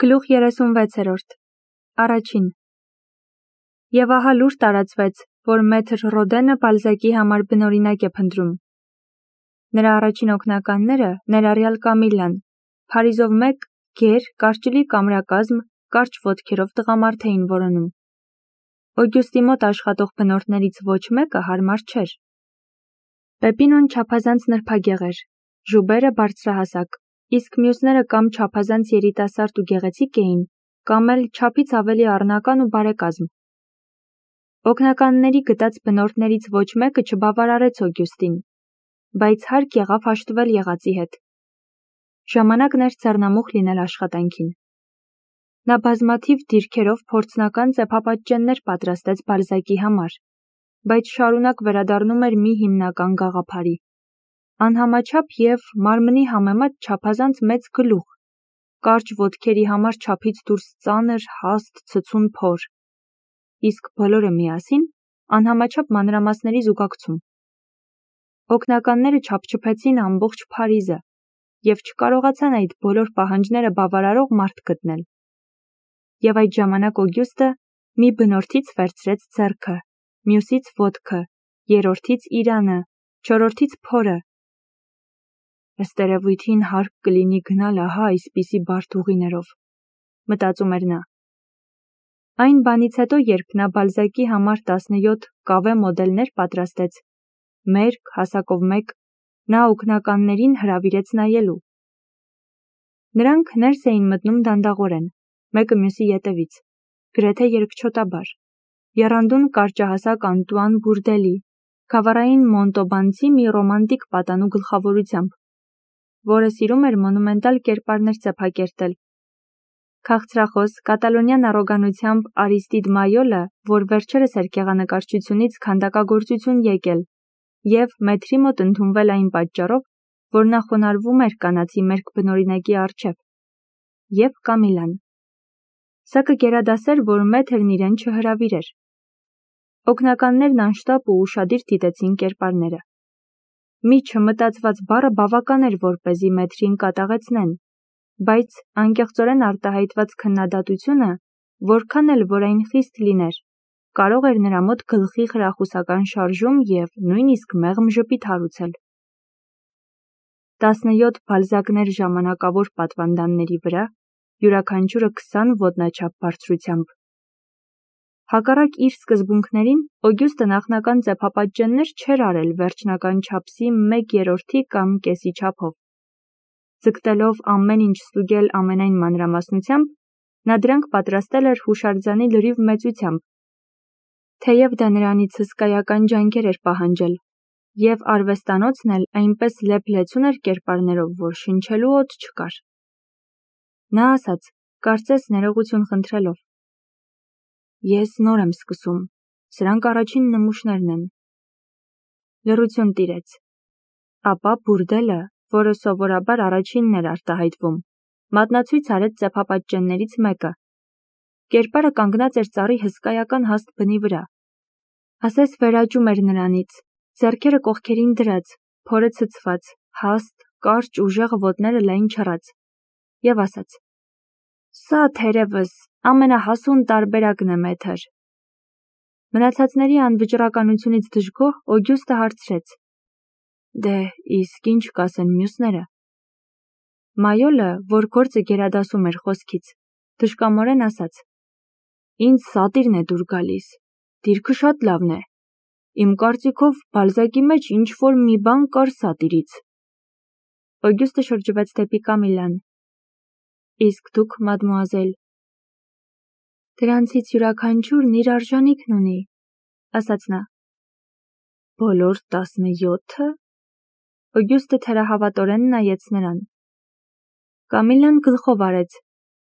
Գլուխ 36-րդ Առաջին Եվ ահա լուր տարածվեց, որ մեթր Ռոդենը Բալզակի համար բնօրինակ է փնտրում։ Նրա առաջին օգնականները, ներառյալ Կամիլլան, Փարիզով մեկ գեր, կարճլի կամրակազմ, կարճ ոտքերով տղամարդ էին որոնում։ Օգյուստի մոտ աշխատող բնորդներից ոչ մեկը հարմար չէր։ Պեպինոն չափազանց նրբագեղ էր, Ժուբերը բարձրահասակ, իսկ մյուսները կամ չափազանց երիտասարդ ու գեղեցիկ էին, կամ էլ չափից ավելի առնական ու բարեկազմ։ Օգնականների գտած բնորդներից ոչ մեկը չբավարարեց Օգյուստին, բայց հարկ եղավ հաշտվել եղածի հետ։ Ժամանակն էր ձեռնամուխ լինել աշխատանքին։ Նա բազմաթիվ դիրքերով փորձնական ծեփապատճեններ պատրաստեց Բալզակի համար, բայց շարունակ վերադառնում էր մի հիմնական գաղափարի։ Անհամաչափ և մարմնի համեմատ չափազանց մեծ գլուխ, կարճ ոտքերի համար չափից դուրս ծանր, հաստ, ցցուն փոր, իսկ բոլորը միասին անհամաչափ մանրամասների զուգակցում։ Օգնականները չափչփեցին ամբողջ Փարիզը և չկարողացան այդ բոլոր պահանջները բավարարող մարդ գտնել։ Եվ այդ ժամանակ Օգյուստը մի բնորդից վերցրեց ձեռքը, մյուսից ոտքը, երրորդից իրանը, չորրորդից փորը։ Ըստ երևույթին հարկ կլինի գնալ ահա այսպիսի բարդ ուղիներով, մտածում էր նա։ Այն բանից հետո, երբ նա Բալզակի համար 17 կավե մոդելներ պատրաստեց, մերկ, հասակով մեկ, նա օգնականներին հրավիրեց նայելու։ Նրանք ներս էին մտնում դանդաղորեն, մեկը մյուսի ետևից, գրեթե երկչոտաբար, եռանդուն կարճահասակ Անտուան Բուրդելի, գավառային Մոնտոբանցի մի ռոմանտիկ պատանու գլխավորությամբ, որը սիրում էր մոնումենտալ կերպարներ ծեփակերտել։ Քաղցրախոս կատալոնյան առոգանությամբ Արիստիդ Մայոլը, որ վերջերս էր գեղանկարչությունից քանդակագործություն եկել և մեթրի մոտ ընդունվել այն պատճառով, որ նա խոնարհվում էր կանացի մերկ բնօրինակի առջև, և Կամիլլան։ Սա կգերադասեր, որ մեթրն իրեն չհրավիրեր։ Օգնականներն անշտապ ու ուշադիր դիտեցին կերպարները։ Մի չմտածված բառը բավական էր, որպեսզի մեթրին կատաղեցնեն, բայց անկեղծորեն արտահայտված քննադատությունը, որքան էլ որ այն խիստ լիներ, կարող էր նրա մոտ գլխի խրախուսական շարժում և նույնիսկ մեղմ ժպիտ հարուցել։ 17 բալզակներ ժամանակավոր պատվանդանների վրա, յուրաքանչյուրը 20 ոտնաչափ բարձրությամբ։ Հակառակ իր սկզբունքներին, Օգյուստը նախնական ծեփապատճեններ չէր արել վերջնական չափսի 1/3 կամ կեսի չափով։ Ձգտելով ամեն ինչ ստուգել ամենայն մանրամասնությամբ, նա դրանք պատրաստել էր հուշարձանի լրիվ մեծությամբ, թեև դա նրանից հսկայական ջանքեր էր պահանջել, և արվեստանոցն էլ այնպես լեփ-լեցուն էր կերպարներով, որ շնչելու օդ չկար։ Նա ասաց, կարծես ներողություն խնդրելով. «Ես նոր եմ սկսում, սրանք առաջին նմուշներն են»։ Լռություն տիրեց։ Ապա Բուրդելը, որը սովորաբար առաջինն էր արտահայտվում, մատնացույց արեց ծեփապատճեններից մեկը։ Կերպարը կանգնած էր ծառի հսկայական հաստ բնի վրա։ Ասես վերաճում էր նրանից, ձեռքերը կողքերին դրած, փորը ցցված, հաստ, կարճ ուժեղ ոտները լայն չռած, և ասաց. «Սա թերևս ամենահասուն տարբերակն է, մեթր»։ Մնացածների անվճռականությունից դժգոհ Օգյուստը հարցրեց. «Դե, իսկ ինչ կասեն մյուսները»։ Մայոլը, որ գործը գերադասում էր խոսքից, դժկամորեն ասաց. «Ինձ սատիրն է դուր գալիս, դիրքը շատ լավն է։ Իմ կարծիքով Բալզակի մեջ ինչ-որ մի բան կար սատիրից»։ Օգյուստը շրջվեց դեպի Կամիլլան. «Իսկ դուք, մադմուազել»։ «Դրանցից յուրաքանչյուրն իր արժանիքն ունի», ասաց նա։ «Բոլոր 17-ը»։ Օգյուստը թերահավատորեն նայեց նրան։ Կամիլլան գլխով արեց,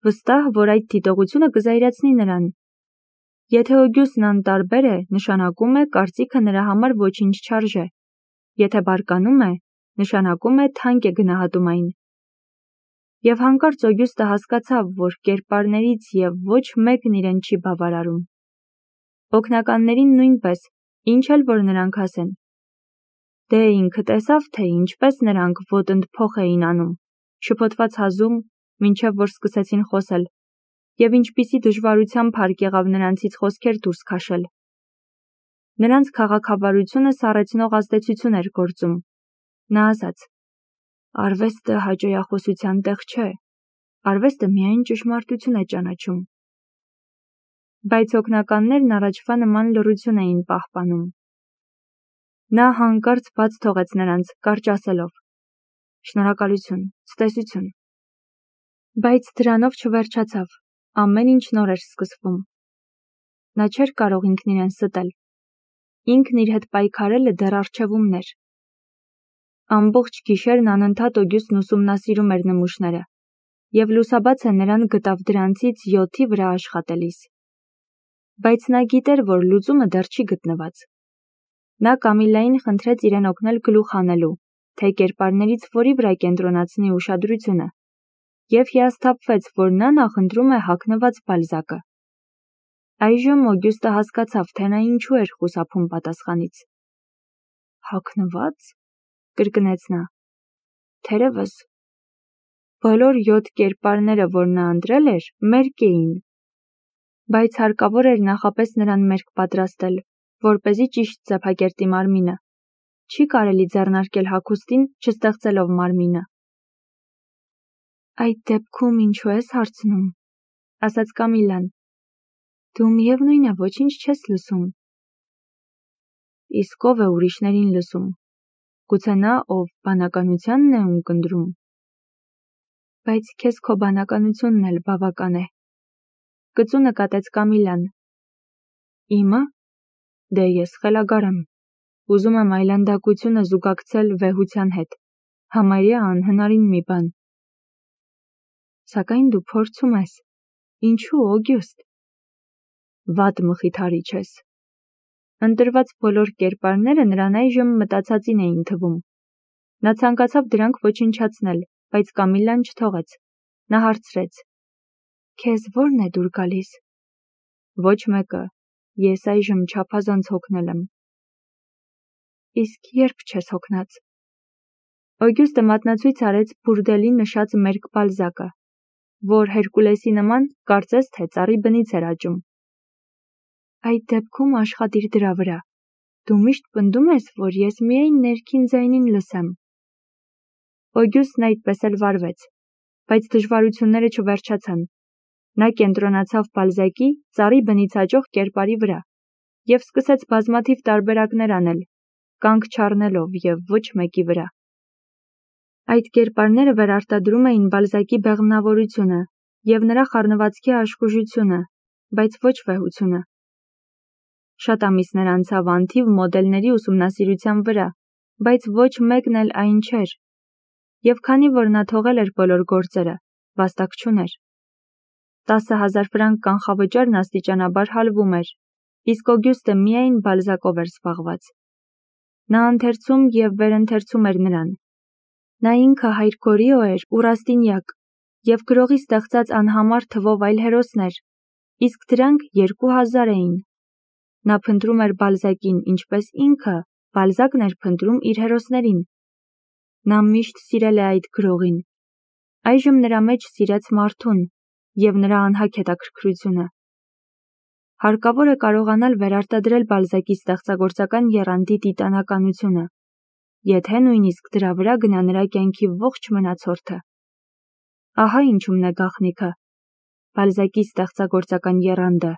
վստահ, որ այդ դիտողությունը կզայրացնի նրան։ Եթե Օգյուստն անտարբեր է, նշանակում է կարծիքը նրա համար ոչինչ չարժե, եթե բարկանում է, նշանակում է թանկ է գնահատում այն։ Եվ հանկարծ Օգյուստը հասկացավ, որ կերպարներից և ոչ մեկն իրեն չի բավարարում։ Օգնականներին նույնպես, ինչ էլ որ նրանք ասեն։ Դե ինքը տեսավ, թե ինչպես նրանք ոտնդ փոխ էին անում, շփոթված հազում, մինչև որ սկսեցին խոսել, և ինչպիսի դժվարությամբ հարկ եղավ նրանցից խոսքեր դուրս քաշել։ Նրանց քաղաքավարությունը սառեցնող ազդեցություն էր գործում։ Նա ասաց. «Արվեստը հաճոյախոսության տեղ չէ, արվեստը միայն ճշմարտություն է ճանաչում»։ Բայց օգնականներն առաջվա նման լռություն էին պահպանում։ Նա հանկարծ բաց թողեց նրանց, կարճ ասելով. «Շնորհակալություն, ցտեսություն»։ Բայց դրանով չվերջացավ, ամեն ինչ նոր էր սկսվում։ Նա չէր կարող ինքն իրեն ստել։ Ինքն իր հետ պայքարելը դեռ առջևումն էր։ Ամբողջ գիշերն անընդհատ Օգյուստն ուսումնասիրում էր նմուշները, և լուսաբացը նրան գտավ դրանցից 7-ի վրա աշխատելիս։ Բայց նա գիտեր, որ լուծումը դեռ չի գտնված։ Նա Կամիլային խնդրեց իրեն օգնել գլուխ հանելու, թե կերպարներից որի վրա կենտրոնացնի ուշադրությունը, և հիասթափվեց, որ նա նախընտրում է հագնված Բալզակը։ Այժմ Օգյուստը հասկացավ, թե նա ինչու էր խուսափում պատասխանից։ «Հագնված», կրկնեց նա։ Թերևս բոլոր 7 կերպարները, որ նա ընտրել էր, մերկ էին, բայց հարկավոր էր նախապես նրան մերկ պատրաստել, որպեսզի ճիշտ ծեփակերտի մարմինը։ Չի կարելի ձեռնարկել հագուստին, չստեղծելով մարմինը։ «Այդ դեպքում ինչու ես հարցնում», ասաց Կամիլան։ «Դու միևնույն է ոչինչ չես լսում»։ Իսկ ով է ուրիշներին լսում։ Գուցե նա, ով բանականությանն է ունկնդրում։ Բայց քեզ քո բանականությունն էլ բավական է, կծու նկատեց Կամիլան։ Իմը։ Դե ես խելագար եմ։ Ուզում եմ այլանդակությունը զուգակցել վեհության հետ, համարյա անհնարին մի բան։ Սակայն դու փորձում ես։ Ինչու, Օգյուստ։ Վատ մխիթարիչ ես։ Ընտրված բոլոր կերպարները նրան այժմ մտածածին էին թվում։ Նա ցանկացավ դրանք ոչնչացնել, բայց Կամիլան չթողեց։ Նա հարցրեց. Քեզ ո՞րն է դուր գալիս։ Ոչ մեկը, ես այժմ չափազանց հոգնել եմ։ Իսկ երբ չես հոգնած։ Օգյուստը մատնացույց արեց Բուրդելի նշած մերկ Բալզակը, որ Հերկուլեսի նման կարծես թե ծառի բնից էր աճում։ Այդ դեպքում աշխատիր դրա վրա։ Դու միշտ պնդում ես, որ ես միայն ներքին ձայնին լսեմ։ Օգյուստն այդպես էլ վարվեց, բայց դժվարությունները չվերջացան։ Նա կենտրոնացավ Բալզակի ծառի բնից աճող կերպարի վրա և սկսեց բազմաթիվ տարբերակներ անել, կանգ չառնելով և ոչ մեկի վրա։ Այդ կերպարները վերարտադրում էին Բալզակի բեղմնավորությունը և նրա խառնվածքի աշխուժությունը, բայց ոչ վեհությունը։ Շատ ամիսներ անցավ անթիվ մոդելների ուսումնասիրության վրա, բայց ոչ մեկն էլ այն չէր։ Եվ քանի որ նա թողել էր բոլոր գործերը, վաստակ չուներ։ 10,000 ֆրանկ կանխավճարն աստիճանաբար հալվում էր, իսկ Օգյուստը միայն Բալզակով էր զբաղված։ Նա ընթերցում և վերընթերցում էր նրան։ Նա ինքը հայր Գորիո էր ու Ռաստինյակ, և գրողի ստեղծած անհամար թվով այլ հերոսներ, իսկ դրանք 2000 էին։ Նա փնտրում էր Բալզակին, ինչպես ինքը Բալզակն էր փնտրում իր հերոսներին։ Նա միշտ սիրել է այդ գրողին։ Այժմ նրա մեջ սիրեց մարդուն և նրա անհագ հետաքրքրությունը։ Հարկավոր է կարողանալ վերարտադրել Բալզակի ստեղծագործական եռանդի տիտանականությունը, եթե նույնիսկ դրա վրա գնա նրա կյանքի ողջ մնացորդը։ Ահա ինչումն է գաղտնիքը, Բալզակի ստեղծագործական եռանդը։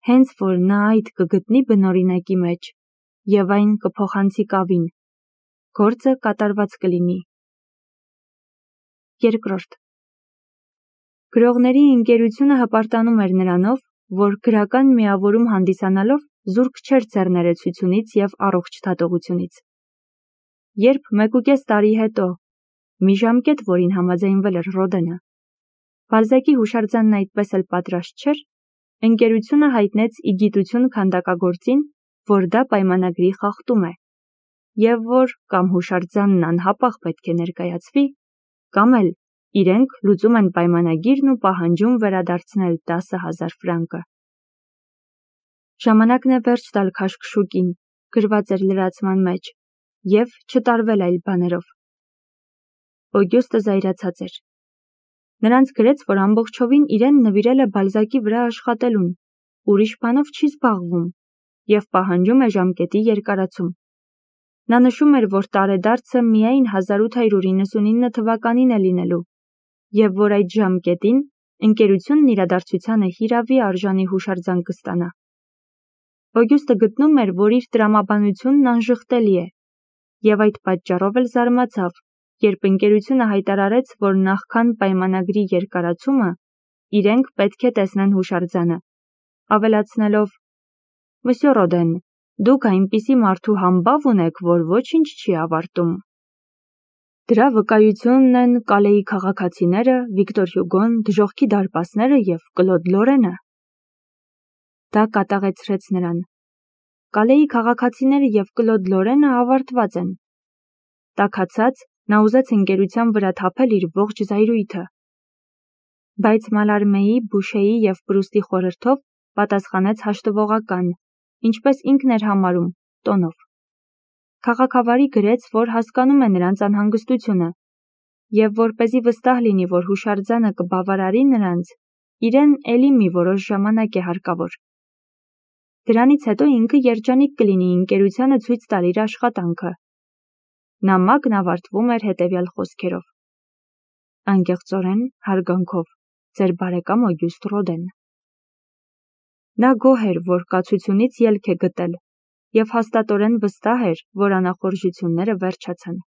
Հենց որ նա այդ կգտնի բնօրինակի մեջ և այն կփոխանցի կավին, գործը կատարված կլինի։ Երկրորդ. Գրողների ընկերությունը հպարտանում էր նրանով, որ գրական միավորում հանդիսանալով զուրկ չէր ձեռներեցությունից և առողջ դատողությունից։ Երբ 1.5 տարի հետո, մի ժամկետ, որին համաձայնվել էր Ռոդենը, Բալզակի հուշարձանն այդպես էլ պատրաստ չէր, ընկերությունը հայտնեց ի գիտություն քանդակագործին, որ դա պայմանագրի խախտում է, և որ կամ հուշարձանն անհապաղ պետք է ներկայացվի, կամ էլ իրենք լուծում են պայմանագիրն ու պահանջում վերադարձնել 10,000 ֆրանկը։ Ժամանակն է վերջ տալ քաշքշուկին, գրված էր լրացման մեջ, և չտարվել այլ բաներով։ Օգյուստը զայրացած էր։ Նրանց գրեց, որ ամբողջովին իրեն նվիրել է Բալզակի վրա աշխատելուն, ուրիշ բանով չի զբաղվում և պահանջում է ժամկետի երկարացում։ Նա նշում էր, որ տարեդարձը միայն 1899 թվականին է լինելու և որ այդ ժամկետին ընկերությունն իրադարձությանը հիրավի արժանի հուշարձան կստանա։ Օգյուստը գտնում էր, որ իր տրամաբանությունն անժխտելի է, և այդ պատճառով էլ զարմացավ, երբ ընկերությունը հայտարարեց, որ նախքան պայմանագրի երկարացումը իրենք պետք է տեսնեն հուշարձանը, ավելացնելով. «Մսյո Ռոդեն, դուք այնպիսի մարդու համբավ ունեք, որ ոչինչ չի ավարտում»։ Դրա վկայությունն են Կալեի քաղաքացիները, Վիկտոր Հյուգոն, Դժոխքի դարպասները և Կլոդ Լորենը։ Դա կատաղեցրեց նրան։ Կալեի քաղաքացիները և Կլոդ Լորենը ավարտված են։ Տաքացած, նա ուզեց ընկերության վրա թափել իր ողջ զայրույթը։ Բայց Մալարմեի, Բուշեի և Պրուստի խորհրդով պատասխանեց հաշտվողական, ինչպես ինքն էր համարում, տոնով։ Քաղաքավարի գրեց, որ հասկանում է նրանց անհանգստությունը և որպեսզի վստահ լինի, որ հուշարձանը կբավարարի նրանց, իրեն էլի մի որոշ ժամանակ է հարկավոր։ Դրանից հետո ինքը երջանիկ կլինի ընկերությանը ցույց տալ իր աշխատանքը։ Նամակն ավարտվում էր հետևյալ խոսքերով. Անկեղծորեն, հարգանքով, ձեր բարեկամ Օգյուստ Ռոդեն։ Նա գոհ էր, որ կացությունից ելք է գտել, և հաստատորեն վստահ էր, որ անախորժությունները վերջացան։